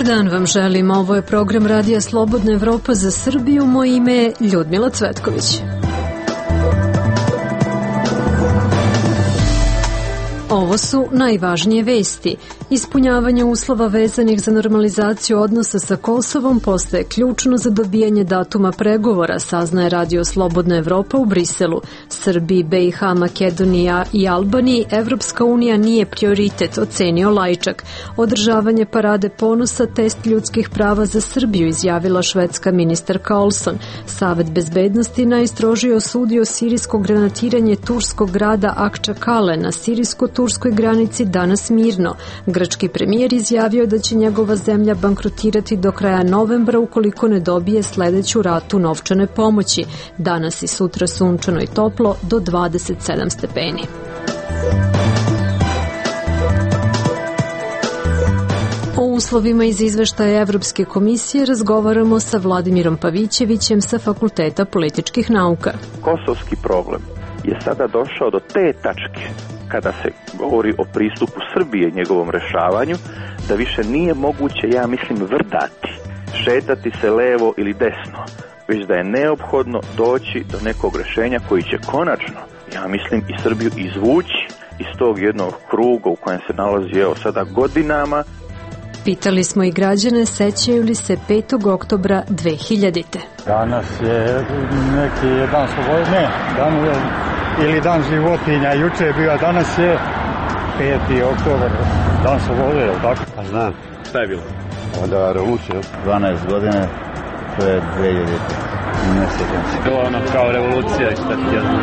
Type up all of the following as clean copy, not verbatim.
Dobar dan vam želim, ovo je program Radija Slobodna Evropa za Srbiju, moje ime je Ljudmila Cvetković. Ovo su najvažnije vesti. Ispunjavanje uslova vezanih za normalizaciju odnosa sa Kosovom postaje ključno za dobijanje datuma pregovora, saznaje Radio Slobodna Evropa u Briselu. Srbiji, BiH, Makedonija i Albaniji Evropska unija nije prioritet, ocenio Lajčak. Održavanje parade ponosa test ljudskih prava za Srbiju, izjavila švedska ministarka Olson. Savet bezbednosti najstrožije osudio sirijsko granatiranje turskog grada Akčakale na sirijsko-turskoj granici danas mirno. Grčki premijer izjavio da će njegova zemlja bankrotirati do kraja novembra ukoliko ne dobije sledeću ratu novčane pomoći. Danas i sutra sunčano i toplo do 27 stepeni. O uslovima iz izveštaja Evropske komisije razgovaramo sa Vladimirom Pavićevićem sa Fakulteta političkih nauka. Kosovski problem je sada došao do te tačke kada se govori o pristupu Srbije njegovom rešavanju, da više nije moguće, ja mislim, vrdati, šetati se levo ili desno, već da je neophodno doći do nekog rešenja koji će konačno, ja mislim, i Srbiju izvući iz tog jednog kruga u kojem se nalazi sada godinama. Pitali smo i građane sećaju li se 5. oktobra 2000. Danas je neki dan slobode, ne, dan je, ili dan životinja, juče je bio, a danas je 5. oktobar, dan slobode, je li tako? Pa znam. Šta je bilo? Onda revolucija. 12 godine, to je 2000. Ne sjećam se. To ono kao revolucija i šta ti jedno.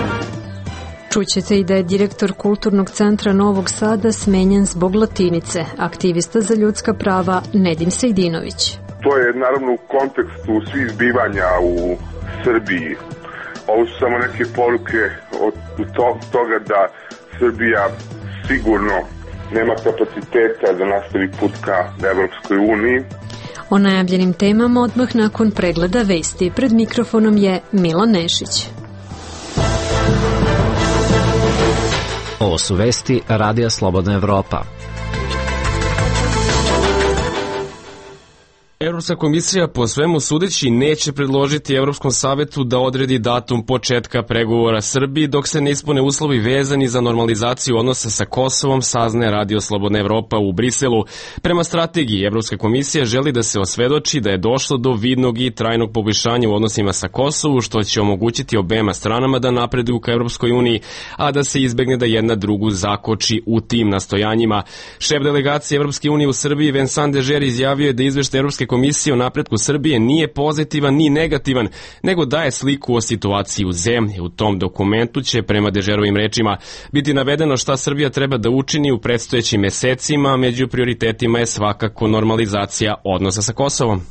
Čućete i da je direktor Kulturnog centra Novog Sada smenjen zbog latinice, aktivista za ljudska prava Nedim Sejdinović. To je naravno u kontekstu svih zbivanja u Srbiji. Ovo su samo neke poruke od toga da Srbija sigurno nema kapaciteta da nastavi put ka Evropskoj uniji. O najavljenim temama odmah nakon pregleda vesti. Pred mikrofonom je Milan Nešić. Ovo su vesti Radija Slobodna Evropa. Evropska komisija po svemu sudeći neće predložiti Evropskom savetu da odredi datum početka pregovora Srbiji dok se ne ispune uslovi vezani za normalizaciju odnosa sa Kosovom, saznaje Radio Slobodna Evropa u Briselu. Prema strategiji, Evropska komisija želi da se osvedoči da je došlo do vidnog i trajnog poboljšanja u odnosima sa Kosovu, što će omogućiti obema stranama da napreduju ka Evropskoj uniji, a da se izbegne da jedna drugu zakoči u tim nastojanjima. Šef delegacije Evropske unije u Srbiji, Vincent Dežer, izjavio je da izveštaj Evropske komisije o napretku Srbije nije pozitivan ni negativan, nego daje sliku o situaciji u zemlji. U tom dokumentu će, prema Dežerovim rečima, biti navedeno šta Srbija treba da učini u predstojećim mesecima, među prioritetima je svakako normalizacija odnosa sa Kosovom.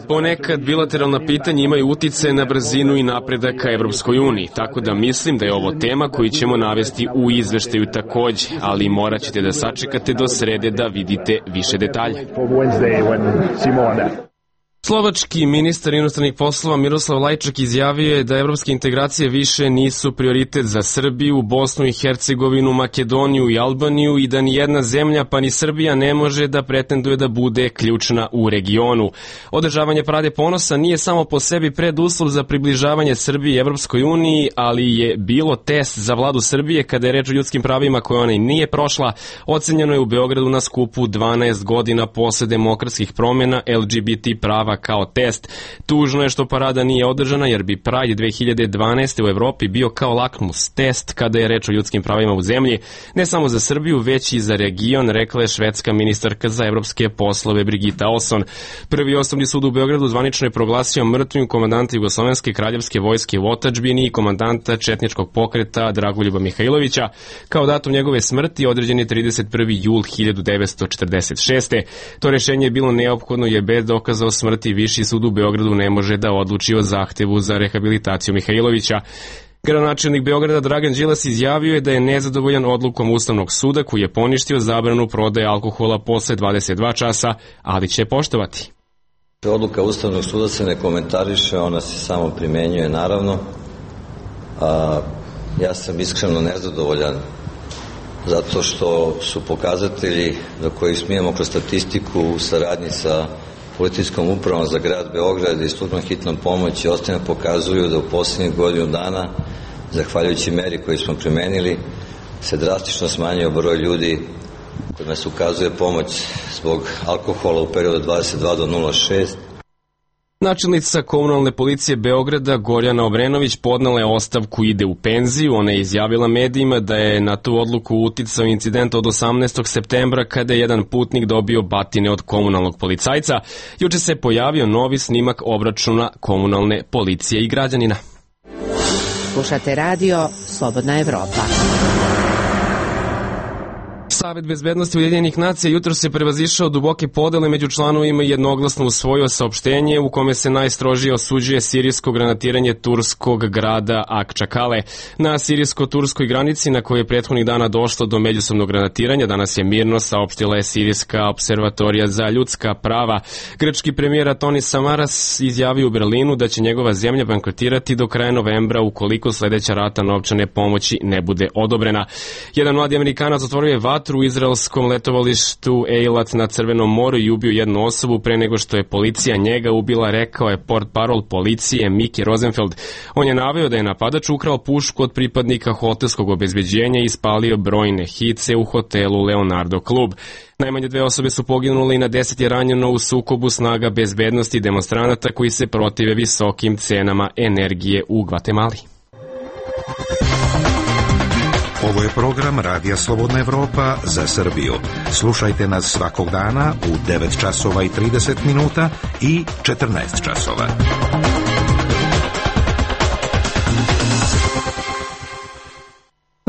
Ponekad bilateralna pitanja imaju utice na brzinu i napredak ka Evropskoj uniji, tako da mislim da je ovo tema koju ćemo navesti u izveštaju takođe, ali morat ćete da sačekate do srede da vidite više detalja. Slovački ministar inostranih poslova Miroslav Lajčak izjavio je da evropske integracije više nisu prioritet za Srbiju, Bosnu i Hercegovinu, Makedoniju i Albaniju i da ni jedna zemlja pa ni Srbija ne može da pretenduje da bude ključna u regionu. Održavanje parade ponosa nije samo po sebi preduslov za približavanje Srbije Evropskoj uniji, ali je bilo test za vladu Srbije kada je reč o ljudskim pravima koje ona i nije prošla. Ocenjeno je u Beogradu na skupu 12 godina posle demokratskih promjena LGBT prava kao test. Tužno je što parada nije održana jer bi Pride 2012. u Evropi bio kao lakmus test kada je reč o ljudskim pravima u zemlji, ne samo za Srbiju, već i za region, rekla je švedska ministarka za evropske poslove Brigita Olson. Prvi osnovni sud u Beogradu zvanično je proglasio mrtvim komandanta Jugoslovenske kraljevske vojske u otadžbini i komandanta četničkog pokreta Dragoljuba Mihajlovića. Kao datum njegove smrti određen je 31. jul 1946. To rešenje je bilo neophodno jer bez dokaza o smrti Viši sud u Beogradu ne može da odluči o zahtevu za rehabilitaciju Mihajlovića. Gradonačelnik Beograda Dragan Đilas izjavio je da je nezadovoljan odlukom Ustavnog suda koji je poništio zabranu prodaje alkohola posle 22 časa, ali će poštovati. Odluka Ustavnog suda se ne komentariše, ona se samo primenjuje naravno. Ja sam iskreno nezadovoljan zato što su pokazatelji do kojih smijemo kroz statistiku u saradnji sa policijskom upravom za grad Beograd i službom hitnom pomoći ostane pokazuju da u posljednjih godinu dana, zahvaljujući meri koju smo primenili, se drastično smanjio broj ljudi kojima se ukazuje pomoć zbog alkohola u periodu 22 do 06. Načelnica komunalne policije Beograda Gorjana Obrenović podnela je ostavku i ide u penziju. Ona je izjavila medijima da je na tu odluku uticao incident od 18. septembra kada je jedan putnik dobio batine od komunalnog policajca. Juče se pojavio novi snimak obračuna komunalne policije i građanina. Slušate radio Slobodna Evropa. Savet bezbednosti Ujedinjenih nacija jutros je prevazišao duboke podele među članovima i jednoglasno usvojio saopštenje u kome se najstrožije osuđuje sirijsko granatiranje turskog grada Akčakale. Na sirijsko-turskoj granici na kojoj je prethodnih dana došlo do međusobnog granatiranja danas je mirno, saopštila je Sirijska observatorija za ljudska prava. Grčki premijer Antonis Samaras izjavio u Berlinu da će njegova zemlja bankrotirati do kraja novembra ukoliko sledeća rata novčane pomoći ne bude odobrena. Jedan mladi Amerikanac otvorio je vatru u izraelskom letovalištu Eilat na Crvenom moru i ubio jednu osobu pre nego što je policija njega ubila, rekao je portparol policije Miki Rosenfeld. On je naveo da je napadač ukrao pušku od pripadnika hotelskog obezbeđenja i ispalio brojne hice u hotelu Leonardo Klub. Najmanje 2 osobe su poginule i na 10 je ranjeno u sukobu snaga bezbednosti demonstranata koji se protive visokim cenama energije u Gvatemali. Ovo je program Radija Slobodna Evropa za Srbiju. Slušajte nas svakog dana u 9 časova i 30 minuta i 14 časova.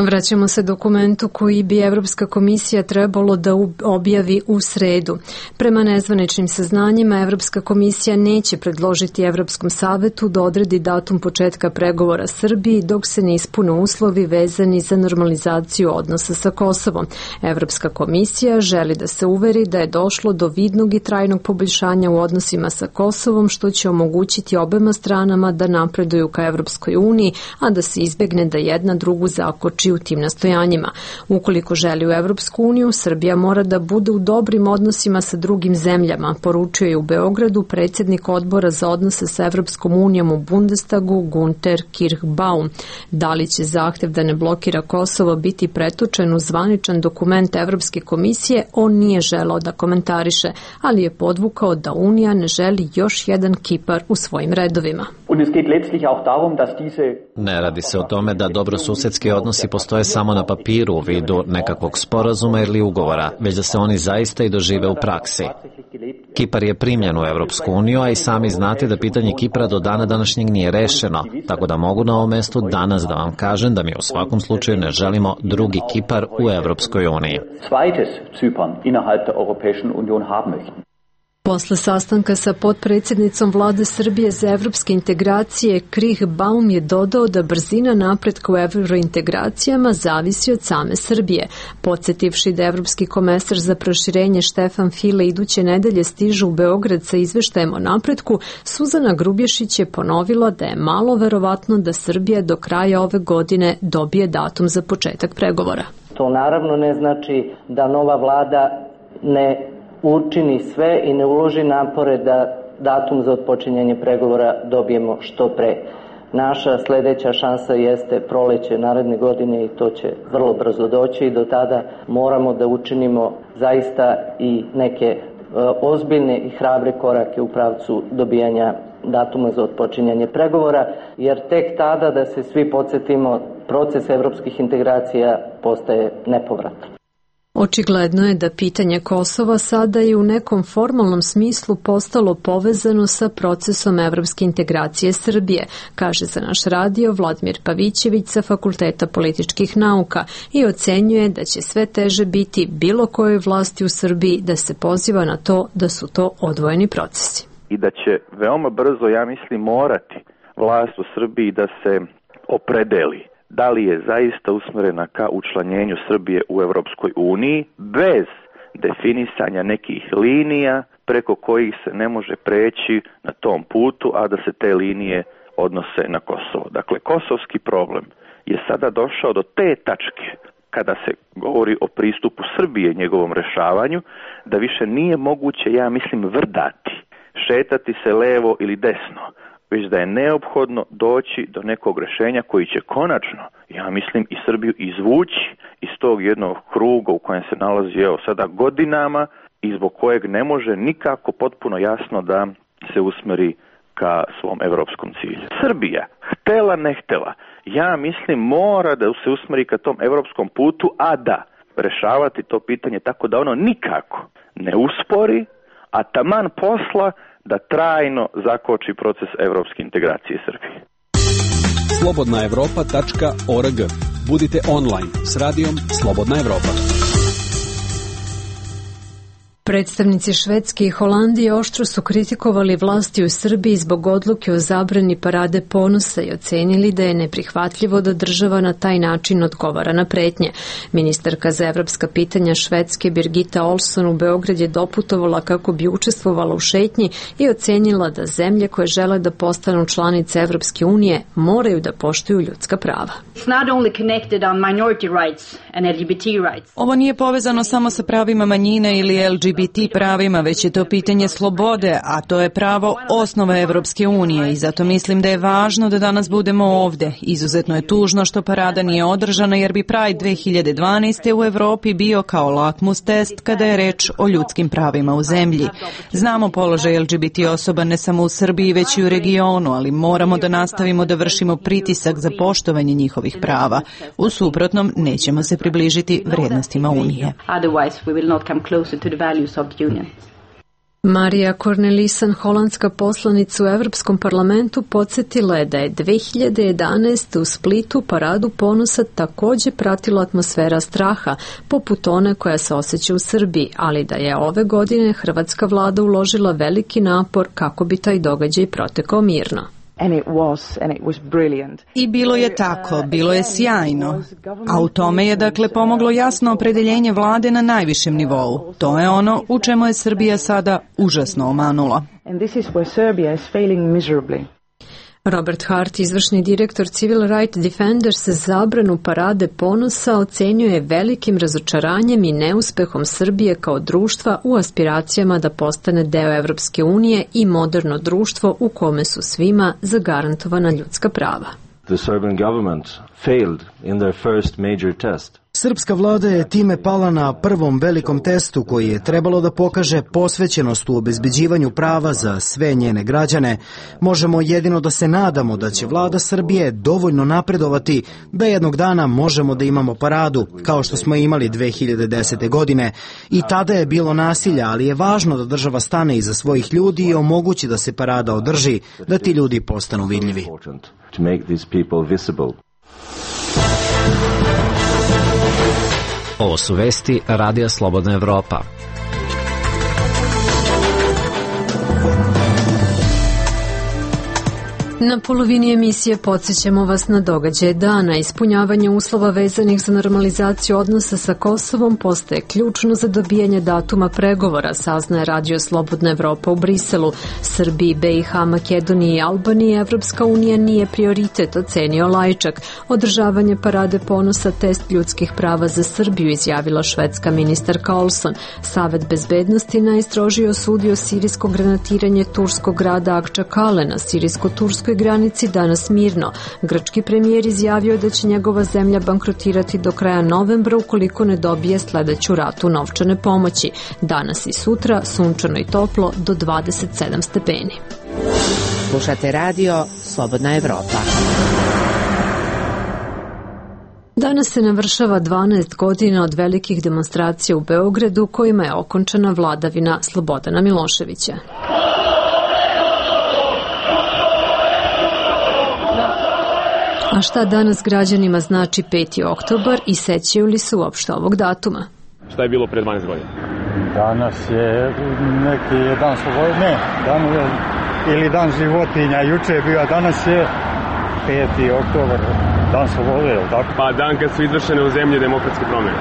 Vraćamo se dokumentu koji bi Evropska komisija trebalo da objavi u sredu. Prema nezvaničnim saznanjima, Evropska komisija neće predložiti Evropskom savetu da odredi datum početka pregovora Srbiji dok se ne ispune uslovi vezani za normalizaciju odnosa sa Kosovom. Evropska komisija želi da se uveri da je došlo do vidnog i trajnog poboljšanja u odnosima sa Kosovom, što će omogućiti obema stranama da napreduju ka Evropskoj uniji, a da se izbegne da jedna drugu zakoči u tim nastojanjima. Ukoliko želi u Evropsku uniju, Srbija mora da bude u dobrim odnosima sa drugim zemljama, poručio je u Beogradu predsjednik odbora za odnose sa Evropskom unijom u Bundestagu Gunter Kirchbaum. Da li će zahtev da ne blokira Kosovo biti pretočen u zvaničan dokument Evropske komisije, on nije želeo da komentariše, ali je podvukao da Unija ne želi još jedan Kipar u svojim redovima. Ne radi se o tome da dobrosusedski odnosi postoje samo na papiru u vidu nekakvog sporazuma ili ugovora, već da se oni zaista i dožive u praksi. Kipar je primljen u Evropsku uniju, a i sami znate da pitanje Kipra do dana današnjeg nije rešeno, tako da mogu na ovom mestu danas da vam kažem da mi u svakom slučaju ne želimo drugi Kipar u Evropskoj uniji. Posle sastanka sa potpredsjednicom vlade Srbije za evropske integracije, Kirchbaum je dodao da brzina napretka u evrointegracijama zavisi od same Srbije. Podsjetivši da evropski komesar za proširenje Štefan File iduće nedelje stiže u Beograd sa izveštajem o napretku, Suzana Grubješić je ponovila da je malo verovatno da Srbija do kraja ove godine dobije datum za početak pregovora. To naravno ne znači da nova vlada ne učini sve i ne uloži napore da datum za otpočinjanje pregovora dobijemo što pre. Naša sledeća šansa jeste proleće naredne godine i to će vrlo brzo doći i do tada moramo da učinimo zaista i neke ozbiljne i hrabre korake u pravcu dobijanja datuma za otpočinjanje pregovora, jer tek tada, da se svi podsjetimo, proces evropskih integracija postaje nepovratan. Očigledno je da pitanje Kosova sada je u nekom formalnom smislu postalo povezano sa procesom evropske integracije Srbije, kaže za naš radio Vladimir Pavićević sa Fakulteta političkih nauka i ocenjuje da će sve teže biti bilo kojoj vlasti u Srbiji da se poziva na to da su to odvojeni procesi. I da će veoma brzo, ja mislim, morati vlast u Srbiji da se opredeli da li je zaista usmerena ka učlanjenju Srbije u Evropskoj uniji bez definisanja nekih linija preko kojih se ne može preći na tom putu, a da se te linije odnose na Kosovo. Dakle, kosovski problem je sada došao do te tačke kada se govori o pristupu Srbije njegovom rešavanju, da više nije moguće, ja mislim, vrdati, šetati se levo ili desno, već da je neophodno doći do nekog rešenja koji će konačno, ja mislim, i Srbiju izvući iz tog jednog kruga u kojem se nalazi sada godinama i zbog kojeg ne može nikako potpuno jasno da se usmeri ka svom evropskom cilju. Srbija, htela ne htela, ja mislim mora da se usmeri ka tom evropskom putu, a da rešavati to pitanje tako da ono nikako ne uspori, a taman posla da trajno zakoči proces evropske integracije Srbije. slobodnaevropa.org. Budite online s radijom Slobodna Evropa. Predstavnici Švedske i Holandije oštro su kritikovali vlasti u Srbiji zbog odluke o zabrani parade ponosa i ocenili da je neprihvatljivo da država na taj način odgovara na pretnje. Ministarka za evropska pitanja Švedske Birgitta Olsson u Beograd je doputovala kako bi učestvovala u šetnji i ocenila da zemlje koje žele da postanu članice Evropske unije moraju da poštuju ljudska prava. Ovo nije povezano samo sa pravima manjine ili LGBT pravima, već je to pitanje slobode, a to je pravo osnova Evropske unije i zato mislim da je važno da danas budemo ovde. Izuzetno je tužno što parada nije održana jer bi Pride 2012. u Evropi bio kao lakmus test kada je reč o ljudskim pravima u zemlji. Znamo položaj LGBT osoba ne samo u Srbiji već i u regionu, ali moramo da nastavimo da vršimo pritisak za poštovanje njihovih prava. U suprotnom nećemo se približiti vrednostima Unije. Marija Cornelissen, holandska poslanica u Evropskom parlamentu, podsjetila je da je 2011. u Splitu paradu ponosa takođe pratila atmosfera straha, poput one koja se osjeća u Srbiji, ali da je ove godine hrvatska vlada uložila veliki napor kako bi taj događaj protekao mirno. I bilo je tako, bilo je sjajno. A u tome je dakle pomoglo jasno opredeljenje vlade na najvišem nivou. To je ono u čemu je Srbija sada užasno omanula. Robert Hart, izvršni direktor Civil Rights Defenders, zabranu parade ponosa ocenjuje velikim razočaranjem i neuspehom Srbije kao društva u aspiracijama da postane deo Evropske unije i moderno društvo u kome su svima zagarantovana ljudska prava. The Serbian government failed in their first major test. Srpska vlada je time pala na prvom velikom testu koji je trebalo da pokaže posvećenost u obezbeđivanju prava za sve njene građane. Možemo jedino da se nadamo da će vlada Srbije dovoljno napredovati da jednog dana možemo da imamo paradu, kao što smo imali 2010. godine. I tada je bilo nasilja, ali je važno da država stane iza svojih ljudi i omogući da se parada održi, da ti ljudi postanu vidljivi. Ovo su vesti Radija Slobodna Evropa. Na polovini emisije podsjećamo vas na događaje dana. Ispunjavanje uslova vezanih za normalizaciju odnosa sa Kosovom postaje ključno za dobijanje datuma pregovora, saznaje Radio Slobodna Evropa u Briselu. Srbiji, BiH, Makedoniji i Albaniji Evropska unija nije prioritet, ocenio Lajčak. Održavanje parade ponosa test ljudskih prava za Srbiju, izjavila švedska ministarka Olsson. Savet bezbednosti najstrožije osudio sirijsko granatiranje turskog grada Akčakale na sirijsko-turskoj granici danas mirno. Grčki premijer izjavio da će njegova zemlja bankrotirati do kraja novembra ukoliko ne dobije sledeću ratu novčane pomoći. Danas i sutra sunčano i toplo do 27 stepeni. Slušate radio Slobodna Evropa. Danas se navršava 12 godina od velikih demonstracija u Beogradu kojima je okončana vladavina Slobodana Miloševića. A šta danas građanima znači 5. oktobar i sećaju li se uopšte ovog datuma? Šta je bilo pre 12 godina? Danas je neki dan slobode, ne, ili dan životinja, juče je bio, a danas je 5. oktobar, dan slobode, je li tako? Pa dan kad su izvršene u zemlji demokratske promjene.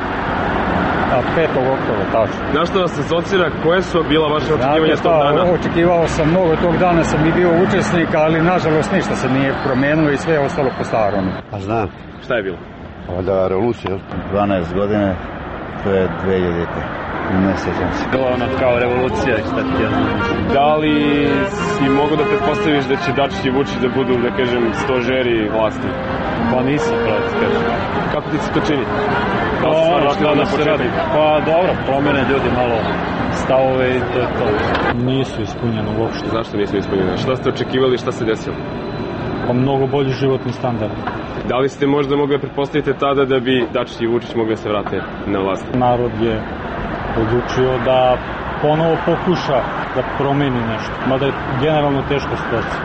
A 5. oktobra, tačno. Na što vas asocira, koje su bila vaše očekivanja tog dana? Očekivao sam mnogo tog dana, sam i bio učesnik, ali nažalost ništa se nije promenilo i sve je ostalo po starom. Pa znam. Šta je bilo? Da, revolucija, 12 godine, to je 2000. Ne sjećam se. To ono kao revolucija, šta ti ja znam. Da li si mogu da pretpostaviš da će Dačić i Vučić da budu, da kažem, stožeri vlasti? Pa nisam, pravo ti kažem. Kako ti se to čini? Pa dobro, promene ljudi malo stavove i to je to. Nisu ispunjeno uopšte. Zašto nisu ispunjeno? Šta ste očekivali, šta se desilo? Pa mnogo bolji životni standard. Da li ste možda mogli da pretpostavite tada da bi Dačić i Vučić mogli da se vrate na vlast? Narod je odlučio da ponovo pokuša da promeni nešto, mada je generalno teška situacija.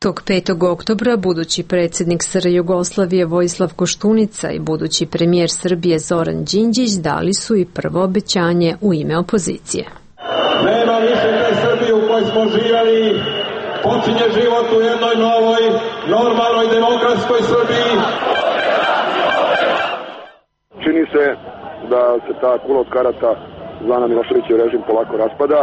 Tog 5. oktobra budući predsjednik SR Jugoslavije Vojislav Koštunica i budući premijer Srbije Zoran Đinđić dali su i prvo obećanje u ime opozicije. Nema više te Srbije u kojoj smo živjeli, počinje život u jednoj novoj, normalnoj, demokratskoj Srbiji. Čini se da se ta kula od karata zvana Miloševićev režim polako raspada,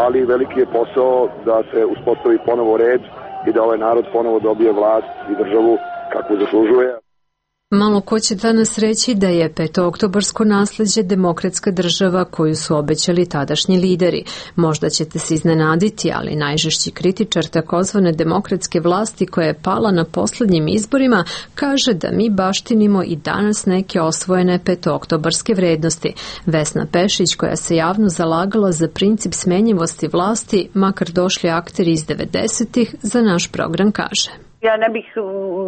ali veliki je posao da se uspostavi ponovo red i da ovaj narod ponovo dobije vlast i državu kakvu zaslužuje. Malo ko će danas reći da je petooktobarsko nasleđe demokratska država koju su obećali tadašnji lideri. Možda ćete se iznenaditi, ali najžešći kritičar takozvane demokratske vlasti koja je pala na poslednjim izborima kaže da mi baštinimo i danas neke osvojene petooktobarske vrednosti. Vesna Pešić, koja se javno zalagala za princip smenjivosti vlasti, makar došli akteri iz 90-ih, za naš program kaže. Ja ne bih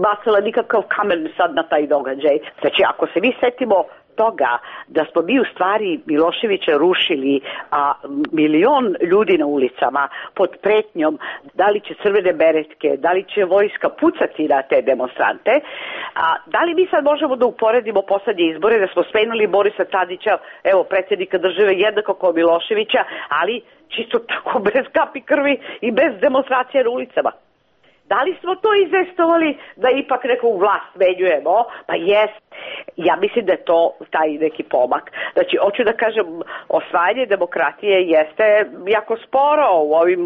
bacila nikakav kamen sad na taj događaj. Znači, ako se mi setimo toga da smo mi u stvari Miloševića rušili, a milion ljudi na ulicama pod pretnjom da li će crvene beretke, da li će vojska pucati na te demonstrante, a da li mi sad možemo da uporedimo poslednje izbore da smo smenili Borisa Tadića, evo predsjednika države jednako kao Miloševića, ali čisto tako bez kapi krvi i bez demonstracije na ulicama. Da li smo to izvestovali da ipak neku vlast menjujemo? Pa jest. Ja mislim da je to taj neki pomak. Znači, hoću da kažem, osvajanje demokratije jeste jako sporo u ovim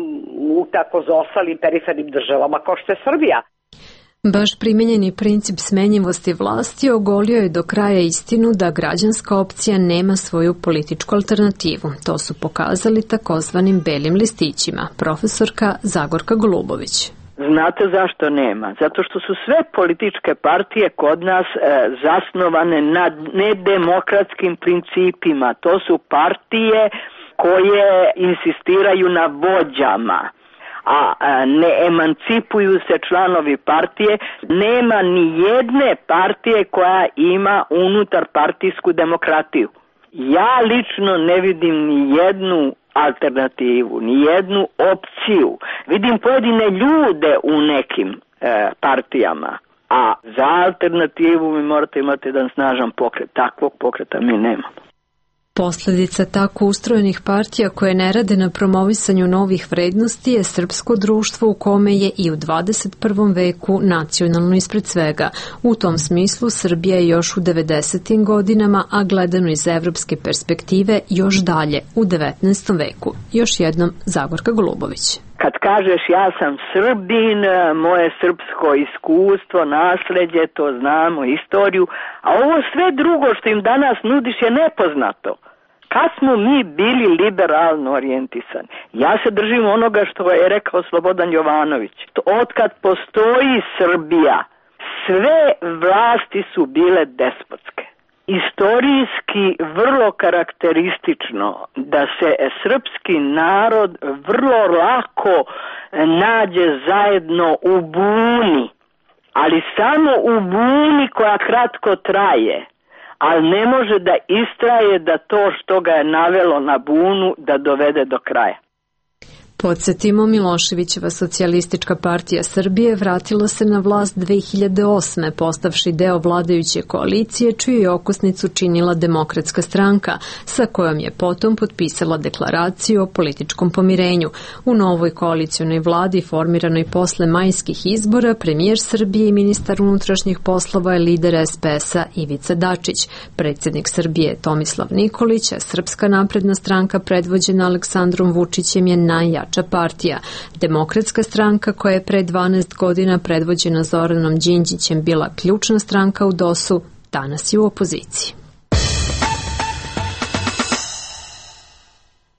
tako zaostalim perifernim državama kao što je Srbija. Baš primenjeni princip smenjivosti vlasti ogolio je do kraja istinu da građanska opcija nema svoju političku alternativu. To su pokazali takozvanim belim listićima. Profesorka Zagorka Golubović. Znate zašto nema? Zato što su sve političke partije kod nas zasnovane na nedemokratskim principima. To su partije koje insistiraju na vođama, a ne emancipuju se članovi partije. Nema ni jedne partije koja ima unutar partijsku demokratiju. Ja lično ne vidim ni jednu alternativu, ni jednu opciju. Vidim pojedine ljude u nekim partijama, a za alternativu mi morate imati jedan snažan pokret. Takvog pokreta mi nemamo. Posledica tako ustrojenih partija koje ne rade na promovisanju novih vrednosti je srpsko društvo u kome je i u 21. veku nacionalno ispred svega. U tom smislu Srbija je još u 90. godinama, a gledano iz evropske perspektive još dalje u 19. veku. Još jednom Zagorka Golubović. Kad kažeš ja sam Srbin, moje srpsko iskustvo, nasleđe, to znamo, istoriju, a ovo sve drugo što im danas nudiš je nepoznato. Kad smo mi bili liberalno orijentisani? Ja se držim onoga što je rekao Slobodan Jovanović. Otkad postoji Srbija, sve vlasti su bile despotske. Istorijski vrlo karakteristično da se srpski narod vrlo lako nađe zajedno u buni, ali samo u buni koja kratko traje, ali ne može da istraje da to što ga je navelo na bunu da dovede do kraja. Podsjetimo, Miloševićeva socijalistička partija Srbije vratila se na vlast 2008. postavši deo vladajuće koalicije, čiju je okosnicu činila Demokratska stranka, sa kojom je potom potpisala deklaraciju o političkom pomirenju. U novoj koalicionoj vladi, formiranoj posle majskih izbora, premijer Srbije i ministar unutrašnjih poslova je lider SPS-a Ivica Dačić. Predsjednik Srbije Tomislav Nikolić, a Srpska napredna stranka predvođena Aleksandrom Vučićem je najjača partija. Demokratska stranka, koja je pre 12 godina predvođena Zoranom Đinđićem bila ključna stranka u DOS-u, danas je u opoziciji.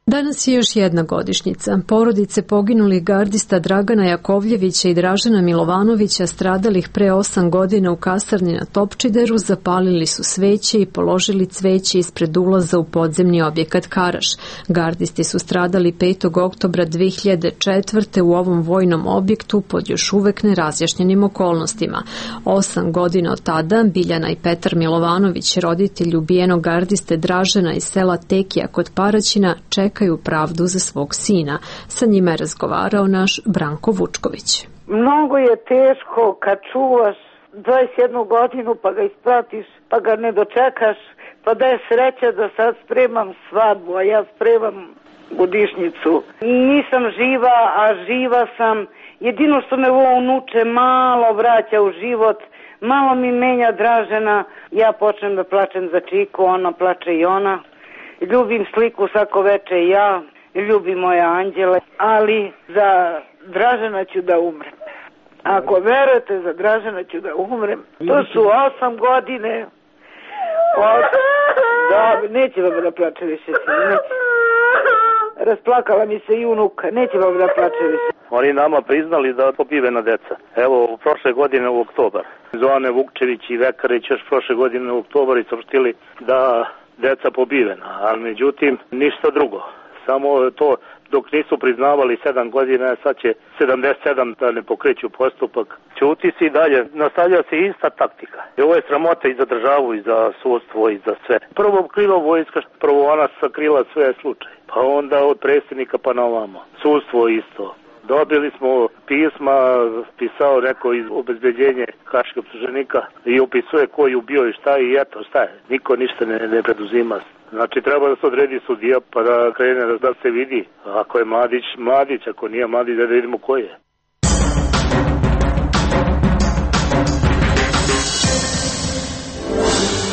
Danas je još jedna godišnjica. Porodice poginulih gardista Dragana Jakovljevića i Dražena Milovanovića, stradalih pre 8 godina u kasarni na Topčideru, zapalili su sveće i položili cveće ispred ulaza u podzemni objekat Karaš. Gardisti su stradali 5. oktobra 2004. u ovom vojnom objektu pod još uvek nerazjašnjenim okolnostima. 8 godina od tada Biljana i Petar Milovanović, roditelji ubijenog gardiste Dražena iz sela Tekija kod Paraćina, čekaju pravdu za svog sina. Sa njima je razgovarao naš Branko Vučković. Mnogo je teško kad čuvaš 21 godinu pa ga ispratiš, pa ga ne dočekaš, pa da je sreća da sad spremam svadbu, a ja spremam godišnjicu. Nisam živa, a živa sam. Jedino što me ovo unuče malo vraća u život, malo mi menja Dražena. Ja počnem da plačem za Čiku, ona plače i ona. Ljubim sliku svako veče i ja, ljubim moje anđele, ali za Dražena ću da umrem. Ako verujete, za Dražena ću da umrem. To su 8 godine. Da, neće vam da plače više, neće. Rasplakala mi se i unuka, neće vam da plače više. Oni nama priznali da pobivena deca. Evo, prošle godine u oktobar. Zoane Vukčević i Vekarić još prošle godine u oktobar i saopštili da deca pobivena, ali međutim ništa drugo. Samo to dok nisu priznavali 7 godina, sad će 77 da ne pokreću postupak. Ćuti se i dalje, nastavlja se ista taktika. I ovo je sramota i za državu, i za sudstvo, i za sve. Prvo krila vojska, prvo ona sakrila sve slučaje, pa onda od predsjednika pa na ovamo. Sudstvo isto. Dobili smo pisma, pisao neko iz obezbeđenja haškog optuženika i opisuje ko je ubio i šta i eto šta je. Niko ništa ne preduzima. Znači treba da se odredi sudija pa da krene da se vidi. Ako je Mladić, Mladić, ako nije Mladić da vidimo ko je.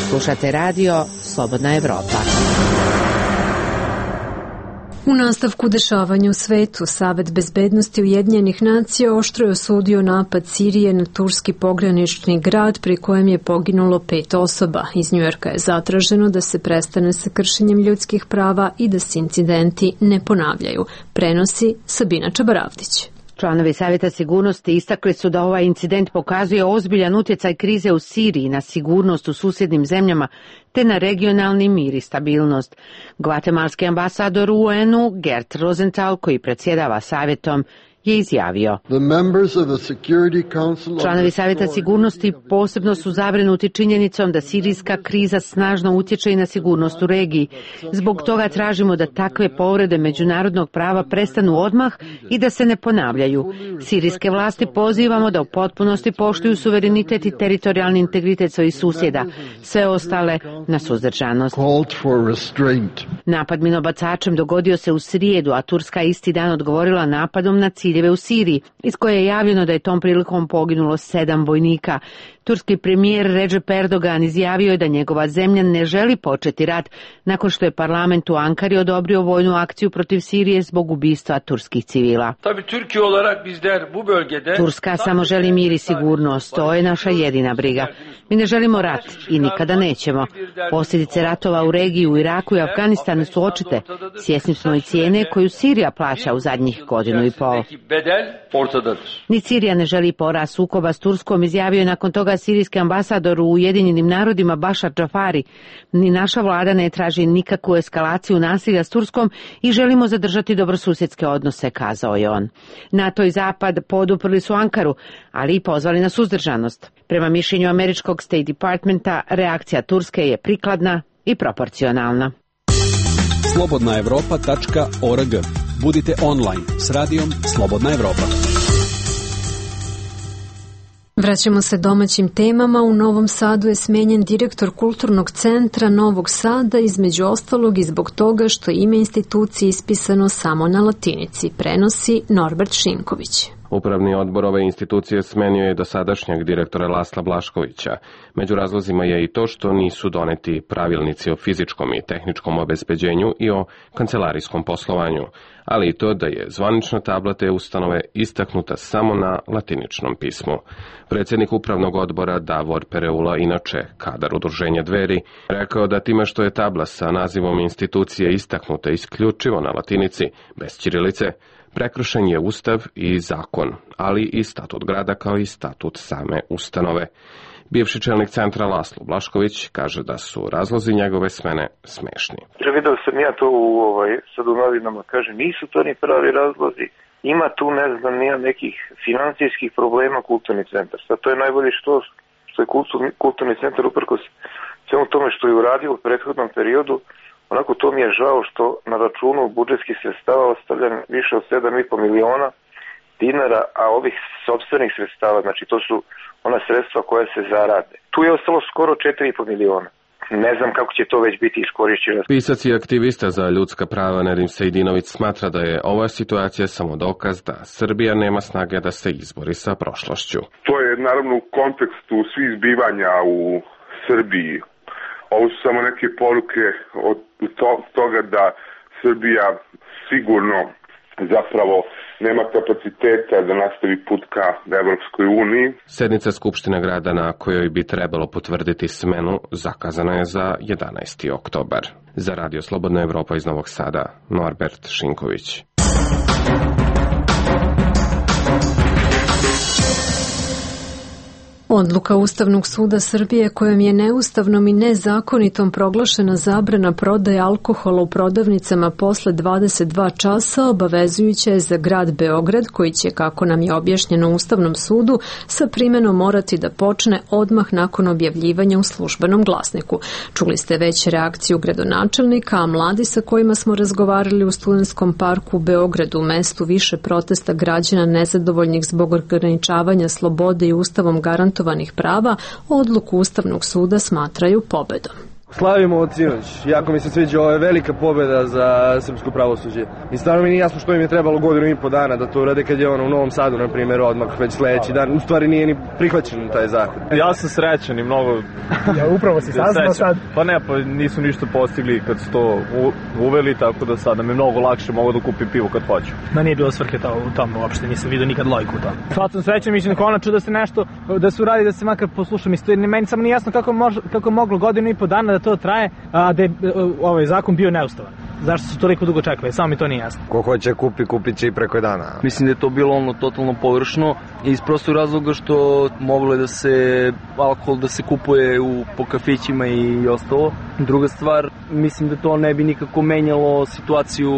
Slušate radio Slobodna Evropa. U nastavku dešavanja u svetu, Savet bezbednosti Ujedinjenih nacija oštro je osudio napad Sirije na turski pogranični grad pri kojem je poginulo 5 osoba. Iz Njujorka je zatraženo da se prestane sa kršenjem ljudskih prava i da se incidenti ne ponavljaju. Prenosi Sabina Čabaravdić. Članovi Savjeta sigurnosti istakli su da ovaj incident pokazuje ozbiljan utjecaj krize u Siriji na sigurnost u susjednim zemljama te na regionalni mir i stabilnost. Gvatemalski ambasador u UN-u Gert Rosenthal, koji predsjedava savjetom, je izjavio: članovi Savjeta sigurnosti posebno su zabrinuti činjenicom da sirijska kriza snažno utječe i na sigurnost u regiji. Zbog toga tražimo da takve povrede međunarodnog prava prestanu odmah i da se ne ponavljaju. Sirijske vlasti pozivamo da u potpunosti poštuju suverenitet i teritorijalni integritet svojih susjeda, sve ostale na suzdržanost. Napad minobacačem dogodio se u srijedu, a Turska isti dan odgovorila napadom na ciljeve u Siriji, iz koje je javljeno da je tom prilikom poginulo 7 vojnika. Turski premijer Recep Erdogan izjavio je da njegova zemlja ne želi početi rat nakon što je parlament u Ankari odobrio vojnu akciju protiv Sirije zbog ubistva turskih civila. Turska samo želi mir i sigurnost, to je naša jedina briga. Mi ne želimo rat i nikada nećemo. Posljedice ratova u regiji u Iraku i Afganistanu su očite. Svjesni smo i cijene koju Sirija plaća u zadnjih godinu i pol. Ni Sirija ne želi porast sukoba s Turskom, izjavio je nakon toga sirijski ambasador u Ujedinjenim narodima Bašar Džafari. Ni naša vlada ne traži nikakvu eskalaciju nasilja s Turskom i želimo zadržati dobrosusjedske odnose, kazao je on. NATO i Zapad poduprli su Ankaru, ali i pozvali na suzdržanost. Prema mišljenju američkog State Departmenta, reakcija Turske je prikladna i proporcionalna. slobodnaevropa.org. Budite online s radijom Slobodna Evropa. Vraćamo se domaćim temama. U Novom Sadu je smenjen direktor Kulturnog centra Novog Sada, između ostalog i zbog toga što ime institucije ispisano samo na latinici, prenosi Norbert Šinković. Upravni odbor ove institucije smenio je dosadašnjeg direktora Lasla Blaškovića. Među razlozima je i to što nisu doneti pravilnici o fizičkom i tehničkom obezbeđenju i o kancelarijskom poslovanju, ali i to da je zvanična tabla te ustanove istaknuta samo na latiničnom pismu. Predsjednik upravnog odbora Davor Pereula, inače kadar udruženja Dveri, rekao da time što je tabla sa nazivom institucije istaknuta isključivo na latinici, bez ćirilice, prekršen je ustav i zakon, ali i statut grada kao i statut same ustanove. Bivši čelnik centra Laslo Blašković kaže da su razlozi njegove smene smešni. Vidio sam ja to sad u novinama, kaže, nisu to ni pravi razlozi. Ima tu, ne znam, nija nekih financijskih problema kulturni centar. Sad to je najbolje što je kulturni centar uprkos svemu tome što je uradio u prethodnom periodu. Onako to mi je žao što na računu budžetskih sredstava ostavljam više od 7,5 miliona dinara, a ovih sopstvenih sredstava, znači to su ona sredstva koja se zarade. Tu je ostalo skoro 4,5 miliona. Ne znam kako će to već biti iskorišćeno. Pisac i aktivista za ljudska prava Nedim Sejdinović smatra da je ova situacija samo dokaz da Srbija nema snage da se izbori sa prošlošću. To je naravno u kontekstu svih zbivanja u Srbiji. Ovo su samo neke poruke od toga da Srbija sigurno zapravo nema kapaciteta da nastavi put ka Evropskoj uniji. Sednica Skupštine grada na kojoj bi trebalo potvrditi smenu zakazana je za 11. oktobar. Za Radio Slobodna Evropa iz Novog Sada, Norbert Šinković. Odluka Ustavnog suda Srbije kojom je neustavnom i nezakonitom proglašena zabrana prodaje alkohola u prodavnicama posle 22 časa obavezujuća je za grad Beograd koji će, kako nam je objašnjeno Ustavnom sudu, sa primenom morati da počne odmah nakon objavljivanja u službenom glasniku. Čuli ste već reakciju gradonačelnika, a mladi sa kojima smo razgovarali u Studentskom parku u Beogradu, mestu više protesta građana nezadovoljnih zbog ograničavanja slobode i Ustavom garantovanih prava, odluku Ustavnog suda smatraju pobedom. Slavimo od sinoć. Jako mi se sviđa, ovo je velika pobjeda za srpsko pravosuđe. I stvarno mi nije jasno što im je trebalo 1,5 godina da to urade kad je ono u Novom Sadu, na primjer, odmah već sledeći dan. U stvari nije ni prihvaćen taj zakon. Ja sam srećan i mnogo... Ja upravo si saznao sad? Pa ne, pa nisu ništa postigli kad su to uveli, tako da sad nam je mnogo lakše, mogu da kupim pivo kad hoću. Da nije bilo svrhe u tom uopšte, nisam vidio nikad lojku u tom. Sad sam srećan, mislim, konačno da se nešto, da se uradi, da se makar poslušam istoriju. Meni samo nije jasno kako moglo 1,5 godina da to traje, a da je ovaj zakon bio neustavan. Zašto su toliko dugo čekali? Samo mi to nije jasno. Ko hoće kupit će i preko dana. Mislim da je to bilo totalno površno i iz prostog razloga što moglo je da se alkohol da se kupuje po kafićima i ostalo. Druga stvar, mislim da to ne bi nikako menjalo situaciju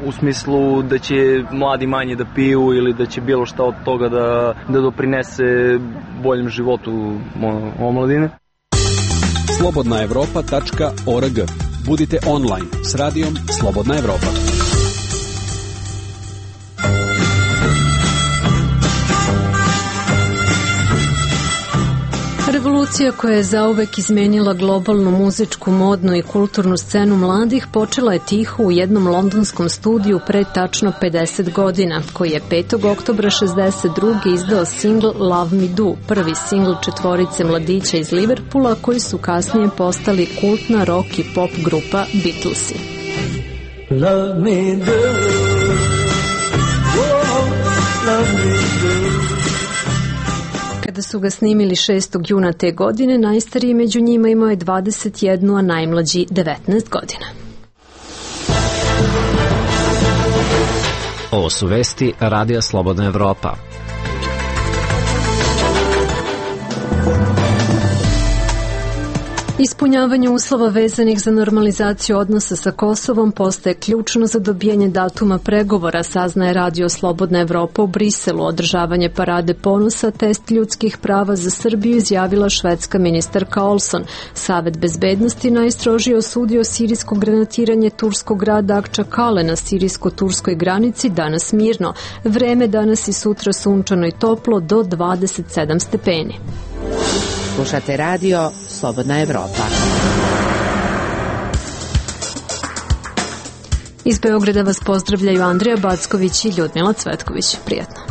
u smislu da će mladi manje da piju ili da će bilo šta od toga da doprinese boljem životu omladine. slobodnaevropa.org. Budite online s radijom Slobodna Evropa. Revolucija koja je zauvek izmenila globalnu muzičku, modnu i kulturnu scenu mladih počela je tiho u jednom londonskom studiju pre tačno 50 godina, koji je 5. oktobra 62. izdao singl Love Me Do, prvi singl četvorice mladića iz Liverpoola koji su kasnije postali kultna rock i pop grupa Beatlesi. Love me do, oh, love me do. Kada su ga snimili 6. juna te godine, najstariji među njima imao je 21, a najmlađi 19 godina. Ovo su vesti Radija Slobodna Evropa. Ispunjavanje uslova vezanih za normalizaciju odnosa sa Kosovom postaje ključno za dobijanje datuma pregovora, saznaje Radio Slobodna Evropa u Briselu. Održavanje parade ponosa, test ljudskih prava za Srbiju, izjavila švedska ministarka Olson. Savet bezbednosti najstrožije osudio sirijsko granatiranje turskog grada Akčakale na sirijsko-turskoj granici danas mirno. Vreme danas i sutra sunčano i toplo do 27 stepeni. Slušate radio Slobodna Evropa. Iz Beograda vas pozdravljaju Andrija Backović i Ljudmila Cvetković. Prijatno.